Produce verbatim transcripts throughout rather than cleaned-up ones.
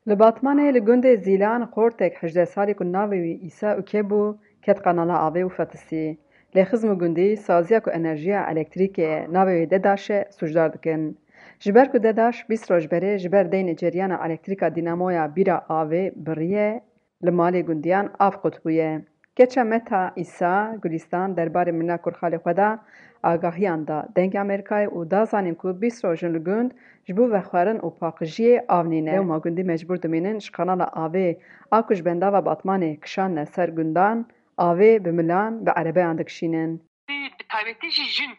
Li Batmanê li gundê Zîlan xortek hejdeh salî ku navê wî Îsa Uke bû, ket qanala avê û fetisî. Lê xizm û gundî saziya ku enerjiya elektrîkê navê wê Dedaş e, sûcdar dikin. Ji ber ku Dedaş bîst roj berê ji ber deynê ceriyana elektrîka dînamoya bîra avê biriye, li malê gundiyan av qut bûye. Keça Meta Îsa Gulîstan derbarê mirina kurxalê xwe de agahiyan da Dengê Amerîkayê û da zanîn ku bîst roj in li gund ji bo vexwarin û paqijiyê av nîne. Lewma gundî mecbûr dimînin ji qanala avê a ku ji bendava Batmanê kişandine ser gundan, avê bi milan, bi erebeyan dikişînin. Bi taybetî jî jin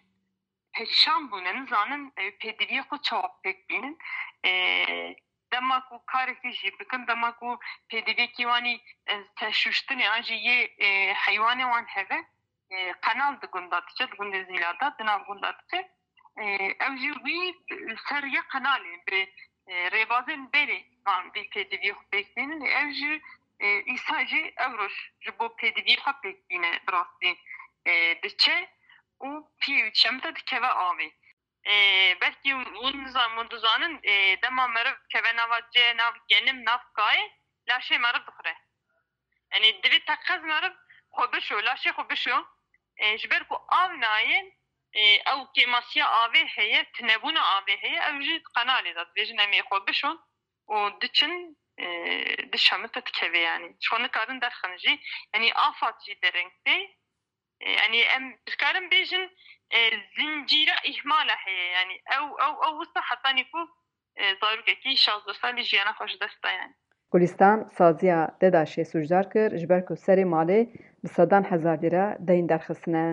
perîşan bûne, nizanin, e, pêdiviyê xwe çawa pêk bînin. E, dema ku karekî jî bikin, dema ku pêdiviyekî wanî, e, te şûştinê an jî yê, e, heywanê wan heve, e, qenal di gunda diçe, di gundê Zîla de, di nav gunda diçe. E, ew jî wî li ser yê qenalê bi, e, rêbazên berê van vî pêdiviyê xwe pêk bînin. Ew jî, e, Îsa jî ew roj ji bo pêdiviyê xwe pêk bîne bi rastî, e, diçe û piyê wî dişemite dikeve avê. E, belkî hûn nizan-, hûn dizanin, e, dema meriv dikeve nava cê, nav genim, nav kayê, laşê meriv dixure. Yanî divê teqez meriv xwe bişo, laşê xwe bişo. E, ji ber ku av nayê, e, ew kêmasiya avê heye, tunebûna avê heye, ew jî qenalê de dibêjin em ê xwe bişon û diçin, e, dişemite dikeve yanî. Ji xwe nikarin derxin jî. Yanî afat jî dereng tê. E, yanî em dikarin bêjin, e, zincîra îhmala heye. Yanî ew, ew, ew wisa hetanî ku, e, zarokekî şazdeh salî jiyana xwe ji dest da yanî. Gulîstan saziya Dedaşê sûcdar kir, ji ber ku serê malê bi sedan hezar lîre deyn derxistine.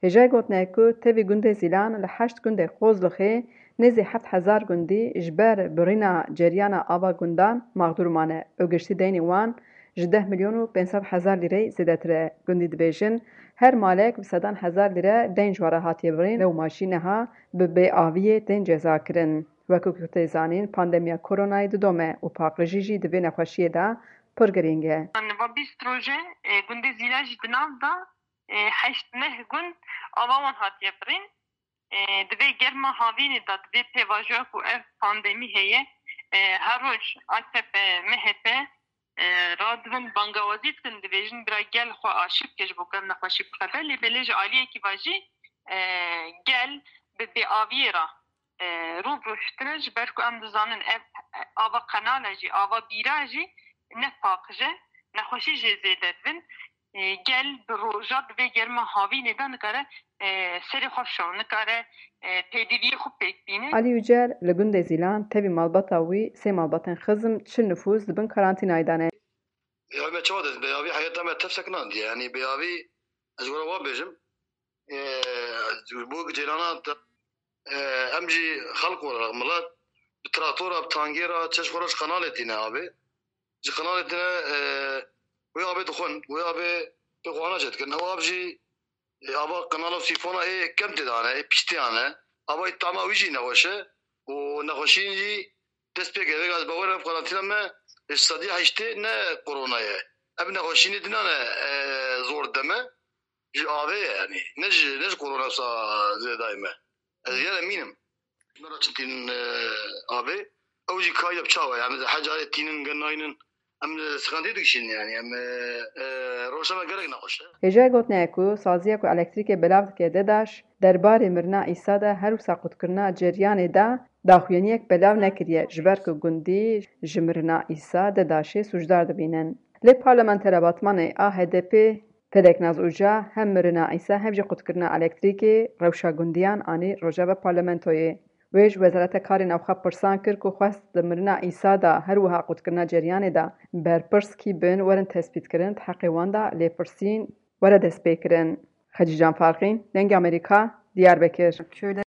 Hêjayê gotinê ye ku tevî gundê Zîlan li heşt gundê Qozlixê nêzî heft hezar gundî ji ber birîna ceriyana ava gundan maxdûr mane û giştî deynê wan ji deh milyon û pênc sed hezar lîreyê zêdetir e. Gundî dibêjin, her malek bi sedan hezar lîre deyn ji wan re hatiye birîn, lewma jî niha bi bêaviyê tên cezakirin. Wekî ku tê zanîn, pandemiya koronayê didome û paqijî jî di vê nexweşiyê de pir girîng e. Niha bîst roj e, e, gundê Zîlan jî di nav de, e, heşt neh gund ava wan hatiye birîn. E, di vê germa havînê de, di vê pêvajoya ku ev pandemî heye, e, her roj A K P, M H P, e, radibin bangawazî dikin, dibêjin bira gel xwe aşî bike ji bo ku ev nexweşî bixefe. Lê belê ji aliyekî ve jî, e, gel bi bêaviyê re, e, rû bi rû şitine, ji ber ku em dizanin ev ava qenal e jî, ava bîra jî ne paqij e, nexweşî jê zêde dibin. E, gel bi roja di vê germa havînê de nikare, e, serê xwe bişo, nikare, e, pêdiviyê xwe pêk bîne. Alî Ucer li gundê Zîlan tevî malbata wî sê malbatên xizm çil nifûs di bin karantînayê de ne. Ya me çawa dest bêavî heyeta me tev sekinandiye. Yanî bêavî ez ji we re wa bêjim. E, ji bo cêrana te, e, em jî xelq olarak milet bi traktora, bi tangê re çeş xwe re ji qenalê tîne avê. Ji qenalê tîne, e, wê avê dixwin, wê avê pê xwe ana çêdikin. Ew av jî, e, ava qenala sîfona ê kem tê de hene, ê pîştê hene. Ava tama wî jî nexweş e û nexweşîn jî dest pê kiriye. Vêga ez bawer im karantîna me ji sedî heştê ne korona ye. Ev nexweşînê dinan e, e, zor dide me. Ji avê ye, yanî ne ji, ne ji korona wisa zêdayê me. Ez gelek mînim. Me re çi tînin, e, avê. Ew jî kayî de bi çawa, yanî ez her carê tînin, gel nayînin. Em li siqandî dikişînin, yanî em, e, e, rewşa me gelek nexweş e. Hêjayê gotinê ye ku saziya ku elektrîkê belav dike Dedaş, derbarê mirina Îsa de her wisa qutkirina ceryanê de daxuyaniyek belav nekiriye, ji ber ku gundî ji mirina Îsa Dedaşê sûcdar dibînin. Lê parlamentera Batmanê a H D P Feleknaz Uca hem mirina Îsa hem jî qutkirina elektrîkê rewşa gundiyan anî rojeva parlamentoyê. Wê ji Wezareta Karê Navxwe pirsan kir ku xwest di mirina Îsa de her wiha qutkirina ceryanê de berpirs kî bin werin tespîtkirin, di heqê wan de lêpirsîn were destpêkirin. Xecîcan Farqîn, Dengê Amerîka, Diyarbekir.